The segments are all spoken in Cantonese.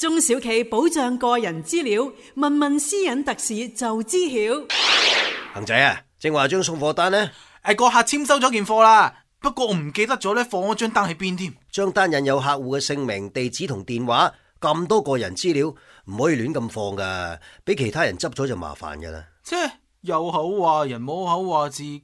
中小企保障個人資料，問問私隱特使就知曉。恒仔啊，正話張送貨單呢？個客簽收咗件貨啦，不過我唔記得咗咧放咗張單喺邊添。張單印有客戶嘅姓名、地址同電話，咁多個人資料唔可以亂咁放噶，俾其他人執咗就麻煩噶啦。有口話人冇口話自己。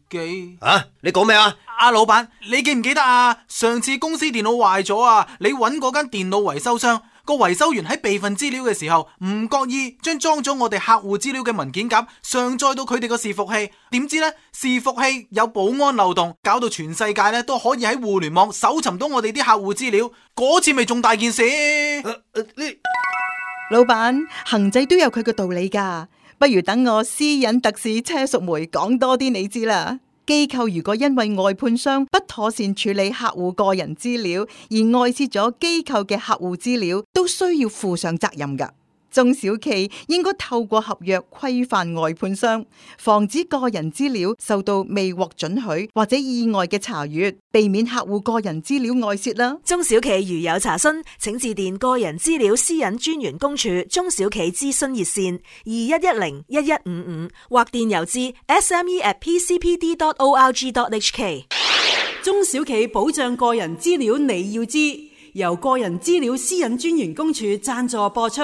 你講咩啊？老闆，你記唔記得啊？上次公司電腦壞咗啊，你揾嗰間電腦維修商，個維修員喺備份資料嘅時候唔覺意將裝咗我哋客戶資料嘅文件夾上載到佢哋個伺服器，點知呢？伺服器有保安漏洞，搞到全世界咧都可以喺互聯網搜尋到我哋啲客戶資料，嗰次咪仲大件事。老闆，恒仔都有佢個道理噶，不如等我私隱特使車淑梅講多啲你知啦。機構如果因為外判商不妥善處理客戶個人資料而外泄咗機構嘅客戶資料，都需要負上責任噶。中小企應該透過合約規範外判商，防止個人資料受到未獲准許或者意外嘅查閱，避免客戶個人資料外泄啦。中小企如有查詢，請致電個人資料私隱專員公署中小企諮詢熱線21101155或電郵至 sme@pcpd.org.hk。中小企保障個人資料你要知，由個人資料私隱專員公署贊助播出。